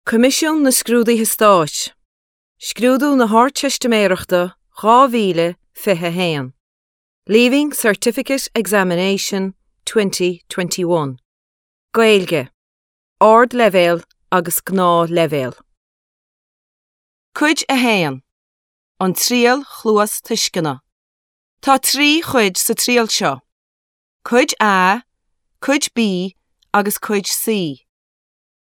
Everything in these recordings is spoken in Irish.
Coimisiún na Scrúduithe Stáit, Scrúdú na hArdteistiméireachta 2021, Leaving Certificate Examination 2021, Gaeilge, Ardleibhéal agus Gnáthleibhéal. Cuid 1, An Triail Chluastuisceana. Tá 3 chuid sa triail seo, Cuid A, Cuid B agus Cuid C.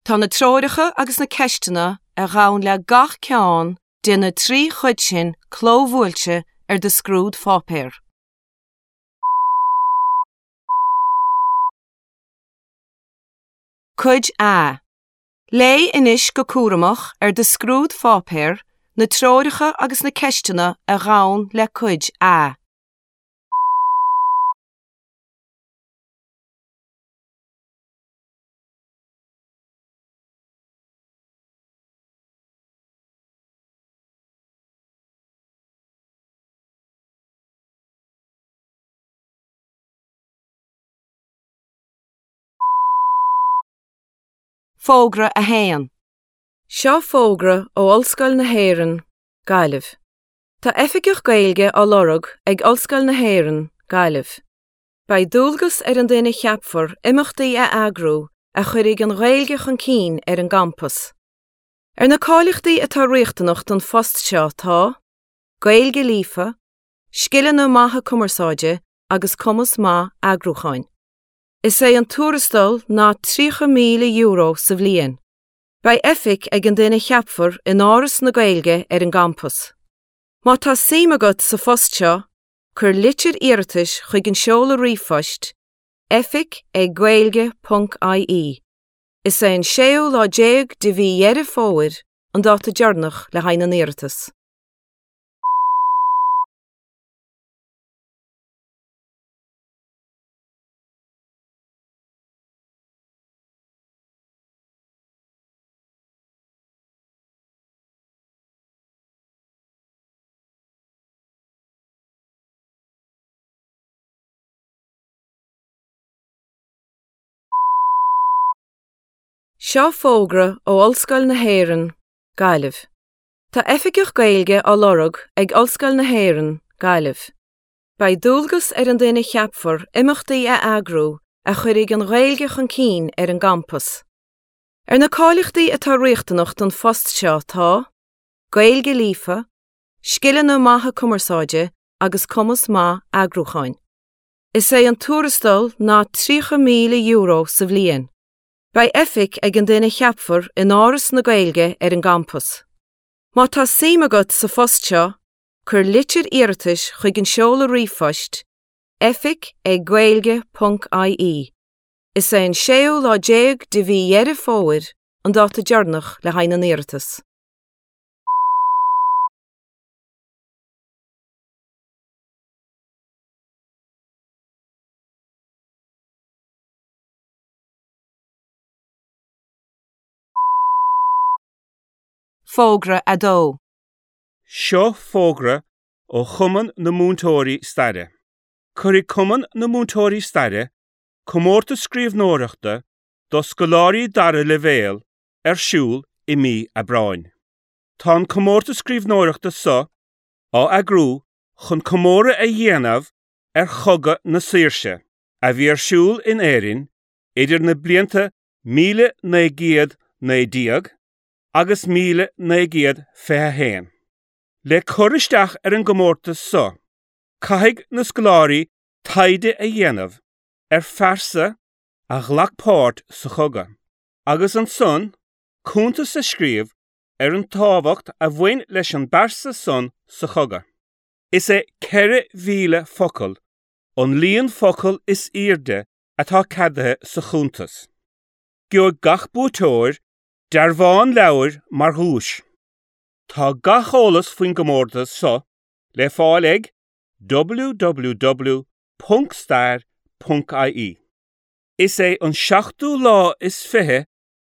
Tá na treoracha agus na ceisteanna a ghabhann le gach ceann de na 3 chuid sin clóbhuailte ar do scrúdpháipéar. Cuid A. Léigh anois go cúramach ar do scrúdpháipéar na treoracha agus na ceisteanna a ghabhann le Cuid A. Fógra 1. Seo fógra ó Ollscoil na hÉireann, Gaillimh. Tá Oifigeach Gaeilge á lorg ag Ollscoil na hÉireann, Gaillimh. Beidh dualgas ar an duine a cheapfar imeachtaí a eagrú a chuirfidh an Ghaeilge chun cinn ar an gcampas. Ar na cáilíochtaí atá riachtanach don phost seo tá, Gaeilge líofa, scileanna maithe cumarsáide agus cumas maith eagrúcháin. Is é an tuarastal ná €30,000 sa bhliain. Beidh oifig ag an duine a cheapfar in Áras na Gaeilge ar an gcampas. Má tá suim agat sa phost seo, Cuir litir iarratais chuig an seoladh ríomhphoist oifig ag gaeilge ponc ie. Is é an séú lá déag de mhí Dheireadh Fómhair an dáta deireanach le haghaidh na n-iarratas. Seo fógra ó Ollscoil na hÉireann, Gaillimh. Tá Oifigeach Gaeilge á lorg ag Ollscoil na hÉireann, Gaillimh. Beidh dualgas ar an duine a cheapfar imeachtaí a eagrú a chuirfidh an Ghaeilge chun cinn ar an gcampas. Ar na cáilíochtaí atá riachtanach don phost seo tá, Gaeilge líofa, scileanna maithe cumarsáide agus cumas maith eagrúcháin. Is é an tuarastal ná €30,000 sa bhliain. Beidh oifig ag an duine a cheapfar in Áras na Gaeilge ar an gcampas. Má tá suim agat sa phost seo, cuir litir iarratais chuig an seoladh ríomhphoist oifig ag gaeilge ponc ie. Is é an séú lá déag de mhí Dheireadh Fómhair an dáta deireanach le haghaidh na n-iarratas. Fógra 2. Seo fógra ó Chumann na Múinteoirí Staire. Cuirfidh Cumann na Múinteoirí Staire comórtas scríbhneoireachta do scoláirí dara leibhéal ar siúl i mí Aibreáin. Tá an comórtas scríbhneoireachta seo á eagrú chun comóradh a dhéanamh ar Chogadh na Saoirse a bhí ar siúl in Éirinn idir na blianta 1919 agus 1921. Le cur isteach ar an gcomórtas seo, caithfidh na scoláirí taighde a dhéanamh ar phearsa a ghlac páirt sa chogadh, agus ansan cuntas a scríobh ar an tábhacht a bhain leis an bpearsa san sa chogadh. Is é 4,000 focal an líon focal is airde atá ceadaithe sa chuntas. Gheobhaidh gach buaiteoir dearbhán leabhair mar dhuais. Tá gach eolas faoin gcomórtas seo le fáil ag www.stair.ie. Is é an seachtú lá is fiche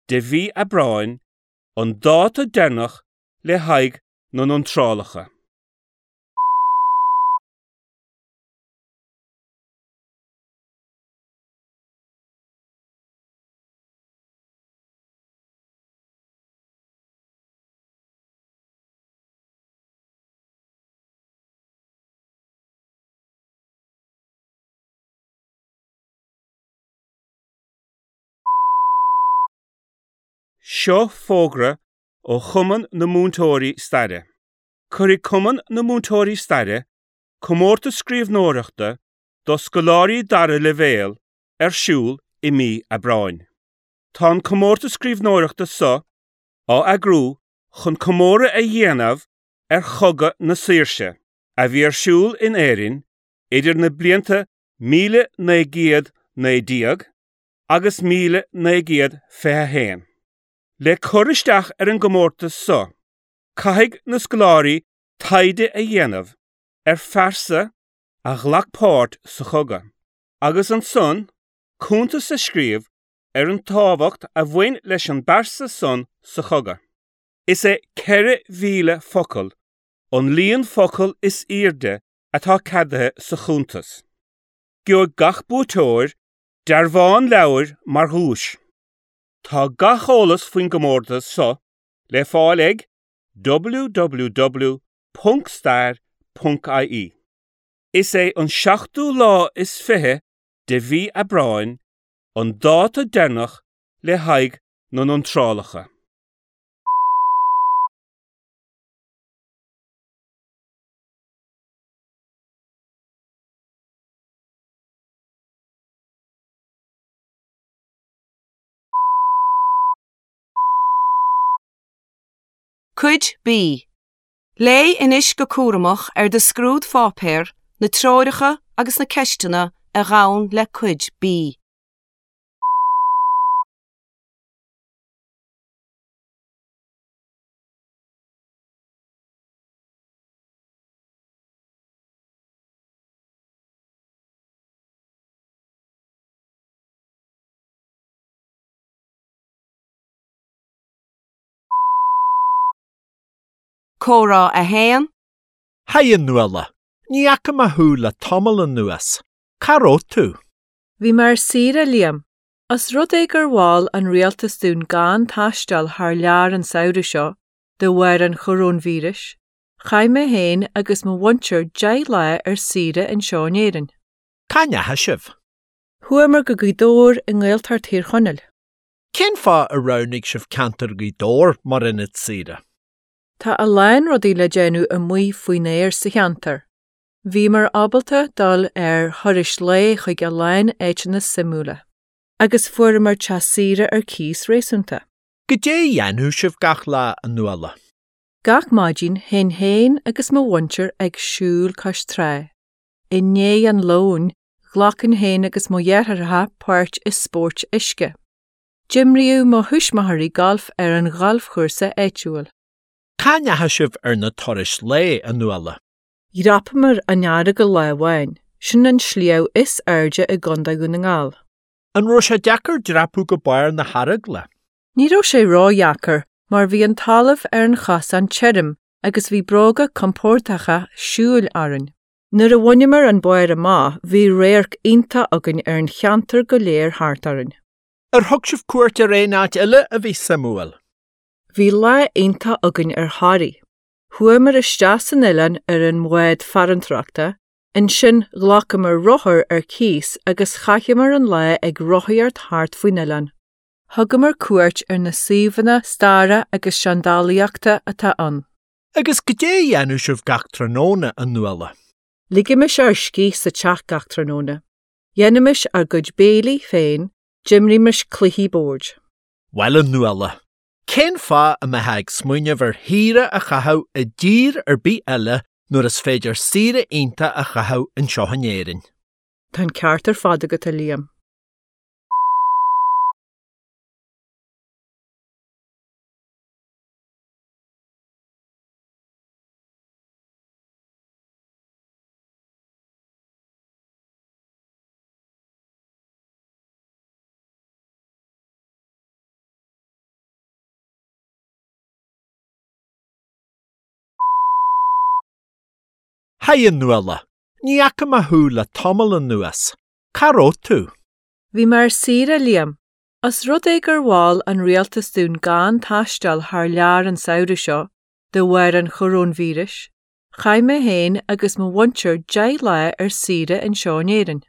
de mhí Aibreáin an dáta deireanach le haghaidh na n-iontrálacha. Seo fógra ó Chumann na Múinteoirí Staire. Cuirfidh Cumann na Múinteoirí Staire comórtas scríbhneoireachta do scoláirí dara leibhéal ar siúl i mí Aibreáin. Tá an comórtas scríbhneoireachta seo á eagrú chun comóradh a dhéanamh ar Chogadh na Saoirse a bhí ar siúl in Éirinn idir na blianta 1919 agus 1921. Le cur isteach ar an gcomórtas seo, caithfidh na scoláirí taighde a dhéanamh ar phearsa a ghlac páirt sa chogadh, agus ansan cuntas a scríobh ar an tábhacht a bhain leis an bpearsa san sa chogadh. Is é 4,000 focal an líon focal is airde atá ceadaithe sa chuntas. Gheobhaidh gach buaiteoir dearbhán leabhair mar dhuais. Tá gach eolas faoin gcomórtas seo le fáil ag www.stair.ie. Is é an seachtú lá is fiche de mhí Aibreáin an dáta deireanach le haghaidh na n-iontrálacha. Cuid B. Léigh anois go cúramach ar do scrúdpháipéar na treoracha agus na ceisteanna a ghabhann le Cuid B. Comhrá 1. Haigh a Nuala, ní fhaca mé thú le tamall anuas. Cá raibh tú? Bhí mé ar saoire, a Liam. Os rud é gur mhol an rialtas dúinn gan taisteal thar lear an samhradh seo, de bharr an choróinvíris, chaith mé féin agus mo mhuintir 10 lá ar saoire anseo in Éirinn. Cá ndeachaigh sibh? Chuamar go Gaoth Dobhair i nGaeltacht Thír Chonaill. Cén fáth ar roghnaigh sibh ceantar Ghaoth Dobhair mar ionad saoire? Tá a lán rudaí le déanamh amuigh faoin aer sa cheantar. Bhíomar ábalta dul ar thurais lae chuig a lán áiteanna suimiúla. Agus fuaireamar teach saoire ar cíos réasúnta. Goidé a dhéanadh sibh gach lá, a Nuala? Gach maidin théinn féin agus mo mhuintir ag siúl cois trá. I ndiaidh an lóin, ghlacainn féin agus mo dheartháireacha páirt i spóirt uisce. D'imríodh mo thuismitheoirí galf ar an ghalfchúrsa áitiúil. Cá ndeachaigh sibh ar na turais lae, a Nuala? Dhreapamar an Earagail lá amháin, sin an sliabh is airde i gContae Dhún na nGall. An raibh sé deacair dreapadh go barr na hEaragla? Ní raibh sé ródheacair mar bhí an talamh ar an chosán tirim agus bhí bróga compórdacha siúil orainn. Nuair a bhaineamar an barr amach bhí radharc iontach againn ar an cheantar go léir thart orainn. Ar thug sibh cuairt ar aon áit eile a bhí suimiúil? Bhí lá iontach againn ar Thoraigh. Chuamar isteach san oileán ar an mbád farantóireachta, ansin ghlacamar rothar ar cíos agus chaitheamar an lá ag rothaíocht thart faoin oileán. Thugamar cuairt ar na suíomhanna staire agus seandálaíochta atá ann. Agus goidé a dhéanadh sibh gach tráthnóna, a Nuala? Ligimis ár scíth sa teach gach tráthnóna. Dhéanaimis ár gcuid béilí féin, d'imrímis cluichí boird. Bhuel, a Nuala, cén fáth a mbeifeá ag smaoineamh ar shaoire a chaitheamh i dtír ar bith eile nuair is féidir saoire iontach a chaitheamh anseo in Éirinn? Tá an ceart ar fad agat, a Liam. Haigh a Nuala, ní fhaca mé thú le tamall anuas. Cá raibh tú? Bhí mé ar saoire, a Liam. Os rud é gur mhol an rialtas dúinn gan taisteal thar lear an samhradh seo, de bharr an choróinvíris, chaith mé féin agus mo mhuintir 10 lá ar saoire anseo in Éirinn.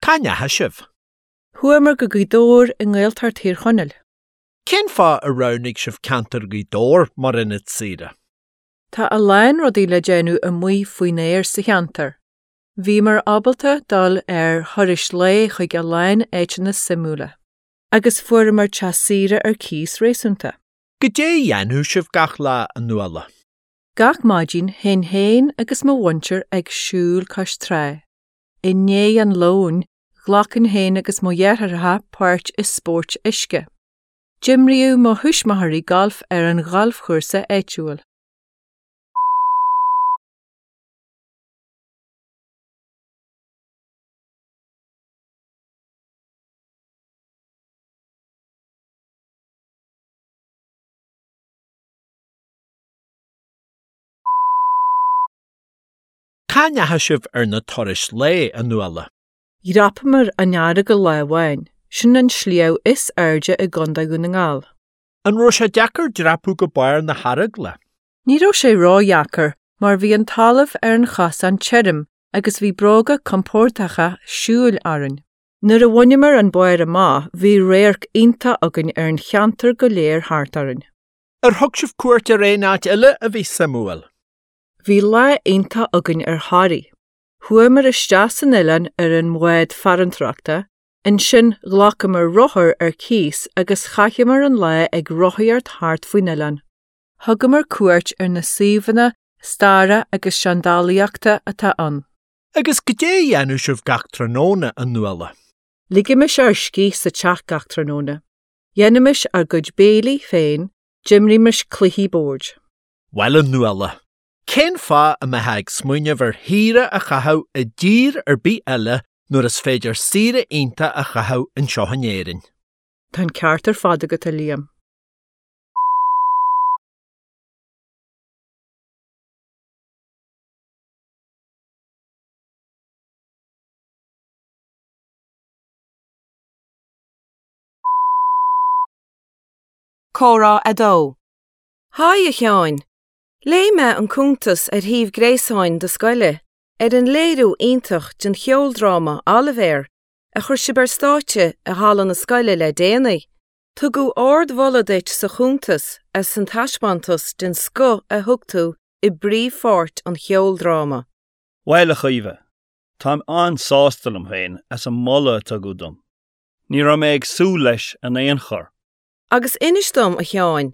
Cá ndeachaigh sibh? Chuamar go Gaoth Dobhair i nGaeltacht Thír Chonaill. Cén fáth ar roghnaigh sibh ceantar Ghaoth Dobhair mar ionad saoire? Tá a lán rudaí le déanamh amuigh faoin aer sa cheantar. Bhíomar ábalta dul ar thurais lae chuig a lán áiteanna suimiúla. Agus fuaireamar teach saoire ar cíos réasúnta. Goidé a dhéanadh sibh gach lá, a Nuala? Gach maidin théinn féin agus mo mhuintir ag siúl cois trá. I ndiaidh an lóin, ghlacainn féin agus mo dheartháireacha páirt i spóirt uisce. D'imríodh mo thuismitheoirí galf ar an ghalfchúrsa áitiúil. Cá ndeachaigh sibh ar na turais lae, a Nuala? Dhreapamar an Earagail lá amháin, sin an sliabh is airde i gContae Dhún na nGall. An raibh sé deacair dreapadh go barr na hEaragla? Ní raibh sé ródheacair mar bhí an talamh ar an chosán tirim agus bhí bróga compordacha siúil orainn. Nuair a bhaineamar an barr amach bhí radharc iontach againn ar an cheantar go léir thart orainn. Ar thug sibh cuairt ar aon áit eile a bhí suimiúil? Bhí lá iontach againn ar Thoraigh. Chuamar isteach san oileán ar an mbád farantóireachta, ansin ghlacamar rothar ar cíos agus chaitheamar an lá ag rothaíocht thart faoin oileán. Thugamar cuairt ar na suíomhanna staire agus seandálaíochta atá ann. Agus goidé a dhéanadh sibh gach tráthnóna, a Nuala? Ligimis ár scíth sa teach gach tráthnóna. Dhéanaimis ár gcuid béilí féin, d'imrímis cluichí boird. Bhuel, a Nuala, cén fáth a mbeifeá ag smaoineamh ar shaoire a chaitheamh i dtír ar bith eile nuair is féidir saoire iontach a chaitheamh anseo in Éirinn? Tá an ceart ar fad agat, a Liam. Comhrá 2. Haigh, a Sheáin! Léigh mé an cuntas ar shuíomh gréasáin do scoile ar an léiriú iontach den cheoldráma Oilibhéar a chuir sibh ar stáitse i halla na scoile le déanaí. Tugadh ardmholadh duit sa chuntas as an taispeántas den scoth a thug tú i bpríomhpháirt an cheoldráma. Bhuel, a Chaoimhe, táim an-sásta liom féin as an moladh a tugadh dom. Ní raibh mé ag súil leis in aon chor. Agus inis dom, a Sheáin,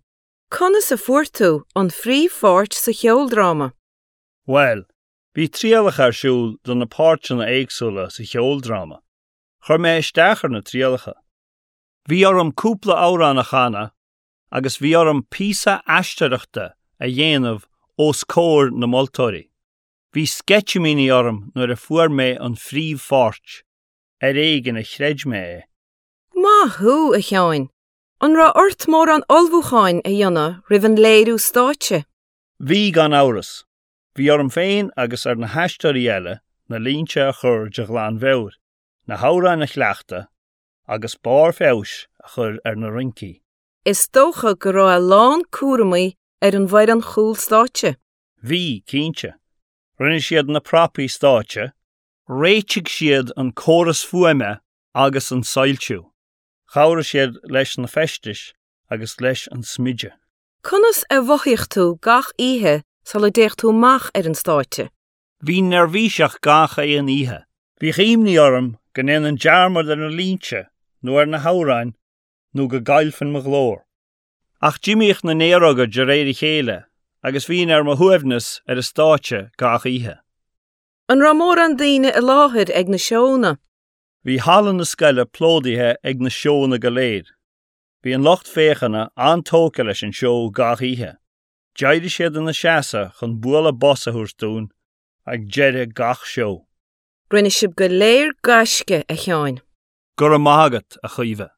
conas a fuair tú an phríomhpháirt sa cheoldráma? Bhuel, bhí trialacha ar siúl do na páirteanna éagsúla sa cheoldráma. Chuir mé isteach ar na trialacha. Bhí orm cúpla amhrán a chanadh agus bhí orm píosa aisteoireachta a dhéanamh os comhair na moltóirí. Bhí sceitimíní orm nuair a fuair mé an phríomhpháirt. Ar éigean a chreid mé é. Maith thú, a Sheáin! An raibh ort mórán ullmhúcháin a dhéanamh roimh an léiriú stáitse? Bhí, gan amhras. Bhí orm féin agus ar na haisteoirí eile na línte a chur de ghlanmheabhair, na hamhráin a chleachtadh agus barr feabhais a chur ar na rincí. Is dócha go raibh a lán cúramaí ar an bhfoireann chúl stáitse. Bhí, cinnte. Rinne siad na prapaí stáitse, réitigh siad an córas fuaime agus an soilsiú, chabhraigh siad leis na feistis agus leis an smideadh. Conas a mhothaigh tú gach oíche sula dtéadh tú amach ar an stáitse? Bhínn neirbhíseach gach aon oíche. Bhíodh imní orm go ndéanfainn dearmad ar na línte nó ar na hamhráin nó go gcaillfinn mo ghlór. Ach d'imíodh na néaróga de réir a chéile agus bhínn ar mo shuaimhneas ar an stáitse gach oíche. An raibh mórán daoine i láthair ag na seónna? Bhí halla na scoile plódaithe ag na seónna go léir. Bhí an lucht féachana an-tógtha leis an seó gach oíche. D'éirigh siad ina seasamh chun bualadh bos a thabhairt dúinn ag deireadh gach seó. Rinne sibh go léir gaisce, a Sheáin. Go raibh maith agat, a Chaoimhe.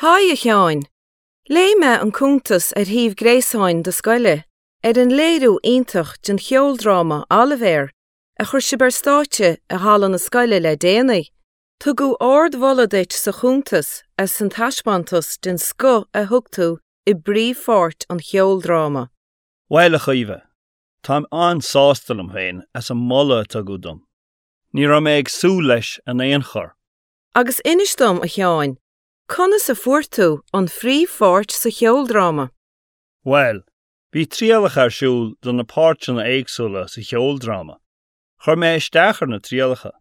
Haigh, a Sheáin! Léigh mé an cuntas ar shuíomh gréasáin do scoile. ar an léiriú iontach den cheoldráma Oilibhéar a chuir sibh ar stáitse i halla na scoile le déanaí. Tugadh ardmholadh duit sa chuntas as an taispeántas den scoth a thug tú i bpríomhpháirt an cheoldráma. Bhuel, a Chaoimhe, táim an-sásta liom féin as an moladh a tugadh dom. Ní raibh mé ag súil leis in aon chor. Agus inis dom, a Sheáin, conas a fuair tú an phríomhpháirt sa cheoldráma? Bhuel, bhí trialacha ar siúl do na páirteanna éagsúla sa cheoldráma. Chuir mé isteach ar na trialacha.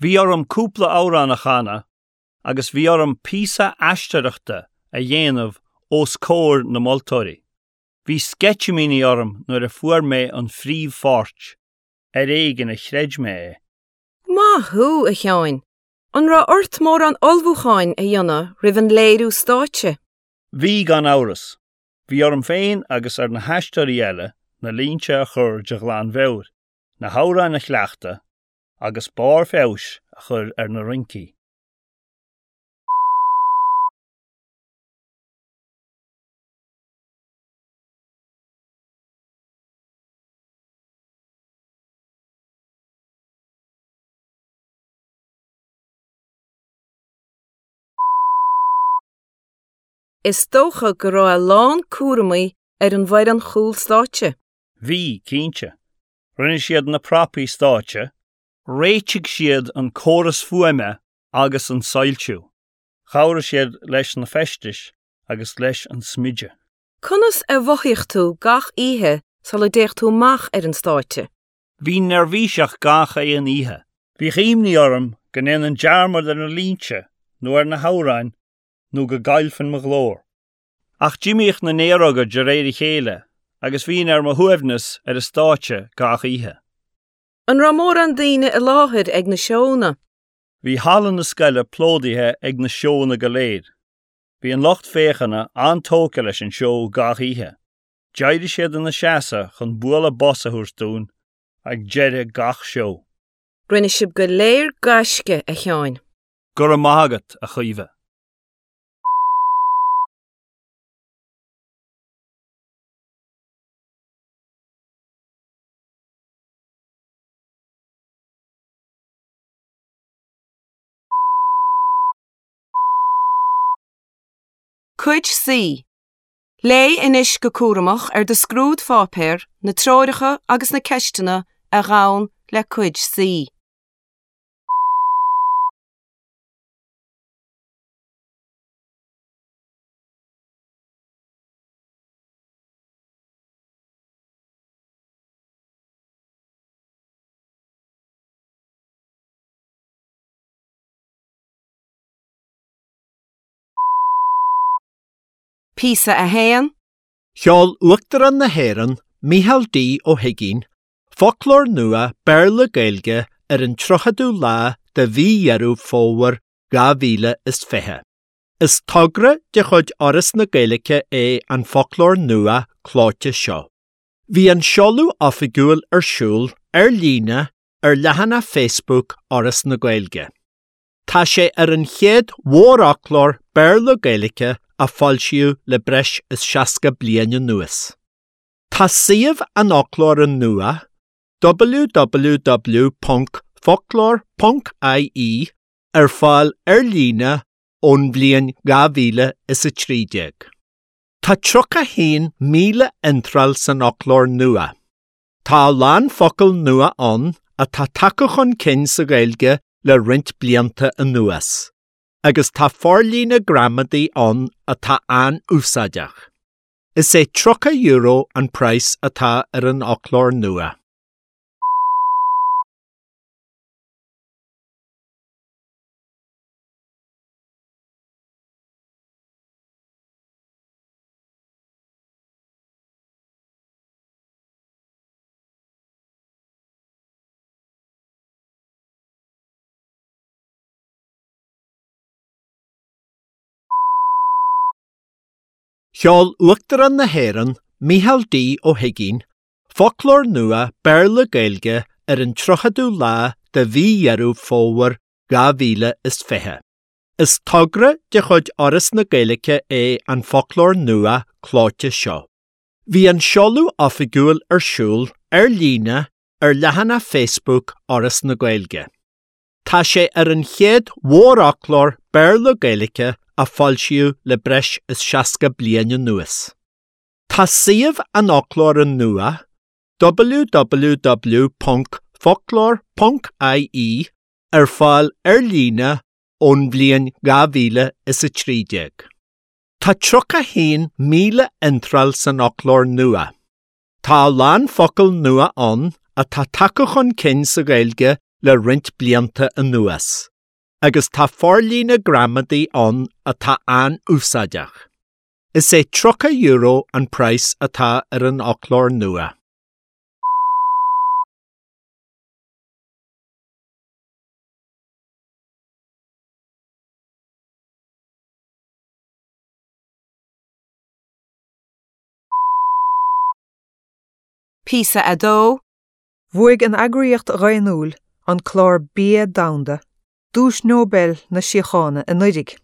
Bhí orm cúpla amhrán a chanadh agus bhí orm píosa aisteoireachta a dhéanamh os comhair na moltóirí. Bhí sceitimíní orm nuair a fuair mé an phríomhpháirt, ar éigean a chreid mé é. Maith thú, a Sheáin! An raibh ort mórán ullmhúcháin a dhéanamh roimh an léiriú stáitse? Bhí, gan amhras. Bhí orm féin agus ar na haisteoirí eile na línte a chur de ghlanmheabhair, na hamhráin a chleachtadh agus barr feabhais a chur ar na rincí. Is dócha go raibh a lán cúramaí ar an bhfoireann chúl stáitse. Bhí, cinnte. Rinne siad na prapaí stáitse, réitigh siad an córas fuaime agus an soilsiú, chabhraigh siad leis na feistis agus leis an smideadh. Conas a mhothaigh tú gach oíche sula dtéadh tú amach ar an stáitse? Bhínn neirbhíseach gach aon oíche. Bhíodh imní orm go ndéanfainn dearmad ar na línte nó ar na hamhráin nó go gcaillfinn mo ghlór. Ach d'imíodh na néaróga de réir a chéile agus bhínn ar mo shuaimhneas ar an stáitse gach oíche. An raibh mórán daoine i láthair ag na seónna? Bhí halla na scoile plódaithe ag na seónna go léir. Bhí an lucht féachana an-tógtha leis an seó gach oíche. D'éirigh siad ina seasamh chun bualadh bos a thabhairt dúinn ag deireadh gach seó. Rinne sibh go léir gaisce, a Sheáin. Go raibh maith agat, a Chaoimhe. Cuid C. Léigh anois go cúramach ar do scrúdpháipéar na treoracha agus na ceisteanna a ghabhann le Cuid C. Píosa 1. Sheol Uachtarán na hÉireann, Micheál D. Ó hUigínn, foclóir nua Béarla-Gaeilge ar an 30ú lá de mhí Dheireadh Fómhair 2020. Is togra de chuid Fhoras na Gaeilge é an foclóir nua clóite seo. Bhí an seoladh oifigiúil ar siúl ar líne ar leathanach Facebook Fhoras na Gaeilge. Tá sé ar an chéad mhórfhoclóir Béarla-Gaeilge a foilsíodh le breis is 60 bliain anuas. Tá suíomh an fhoclóra nua, www.focloir.ie, ar fáil ar líne ón bhliain 2013. Tá 31,000 iontráil san fhoclóir nua. Tá a lán focal nua ann atá tagtha chun cinn sa Ghaeilge le roinnt blianta anuas, agus tá forlíonadh gramadaí ann atá an-úsáideach. Is é €30 an praghas atá ar an fhoclóir nua. Sheol Uachtarán na hÉireann, Micheál D. Ó hUigínn, foclóir nua Béarla-Gaeilge ar an 30ú lá de mhí Dheireadh Fómhair 2020. Is togra de chuid Fhoras na Gaeilge é an foclóir nua clóite seo. Bhí an seoladh oifigiúil ar siúl ar líne ar leathanach Facebook Fhoras na Gaeilge. Tá sé ar an chéad mhórfhoclóir Béarla-Gaeilge a foilsíodh le breis is 60 bliain anuas. Tá suíomh an fhoclóra nua, www.focloir.ie, ar fáil ar líne ón bhliain 2013. Tá 31,000 iontráil san fhoclóir nua. Tá a lán focal nua ann atá tagtha chun cinn sa Ghaeilge le roinnt blianta anuas, agus tá forlíonadh gramadaí ann atá an-úsáideach. Is é €30 an praghas atá ar an fhoclóir nua. Píosa 2. Bhuaigh an eagraíocht dhaonnúil, an Clár Bia Domhanda, Duais Nobel na Síochána anuraidh.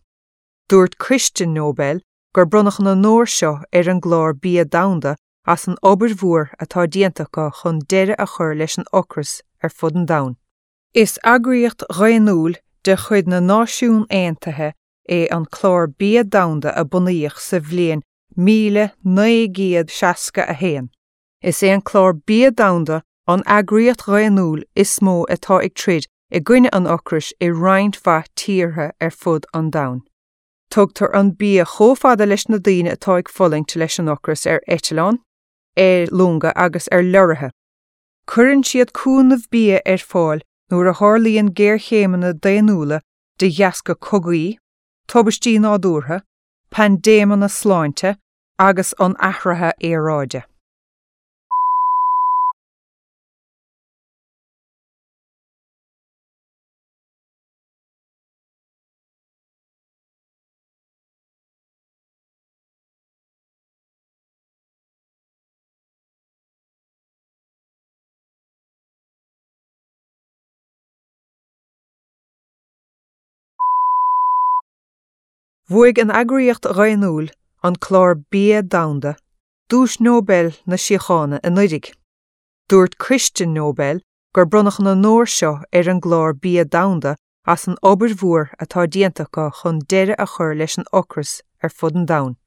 Dúirt Coiste Nobel gur bronnadh an onóir seo ar an gClár Bia Domhanda as an obair mhór atá déanta acu chun deireadh a chur leis an ocras ar fud an domhain. Is eagraíocht dhaonnúil de chuid na Náisiún Aontaithe é an Clár Bia Domhanda a bunaíodh sa bhliain 1961. Is é an Clár Bia Domhanda an eagraíocht dhaonnúil is mó atá ag troid i gcoinne an ocrais i roinnt mhaith tíortha ar fud an domhain. Tugtar an bia chomh fada leis na daoine atá ag fulaingt leis an ocras ar eitleáin, ar longa agus ar leoraithe. Cuireann siad cúnamh bia ar fáil nuair a tharlaíonn géarchéimeanna daonnúla de dheasca cogaí, tubaistí nádúrtha, paindéimeanna sláinte agus an athraithe aeráide. Bhuaigh an eagraíocht dhaonnúil, an Clár Bia Domhanda, Duais Nobel na Síochána anuraidh. Dúirt Coiste Nobel gur bronnadh an onóir seo ar an gClár Bia Domhanda as an obair mhór atá déanta acu chun deireadh a chur leis an ocras ar fud an domhain.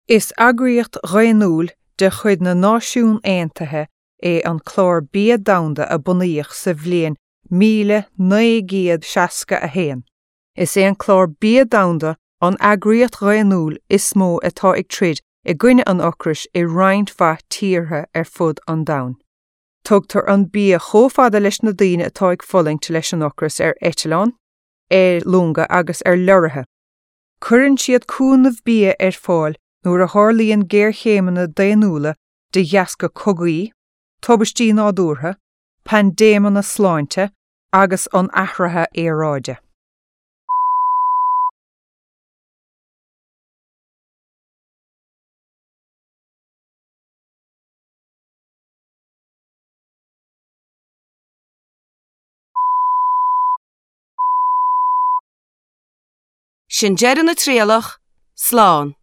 Is eagraíocht dhaonnúil de chuid na Náisiún Aontaithe é an Clár Bia Domhanda a bunaíodh sa bhliain 1961. Is é an Clár Bia Domhanda an eagraíocht dhaonnúil is mó atá ag troid i gcoinne an ocrais i roinnt mhaith tíortha ar fud an domhain. Tugtar an bia chomh fada leis na daoine atá ag fulaingt leis an ocras ar eitleáin, ar longa agus ar leoraithe. Cuireann siad cúnamh bia ar fáil nuair a tharlaíonn géarchéimeanna daonnúla de dheasca cogaí, tubaistí nádúrtha, paindéimeanna sláinte agus an athraithe aeráide. Sin deireadh na trialach, slán.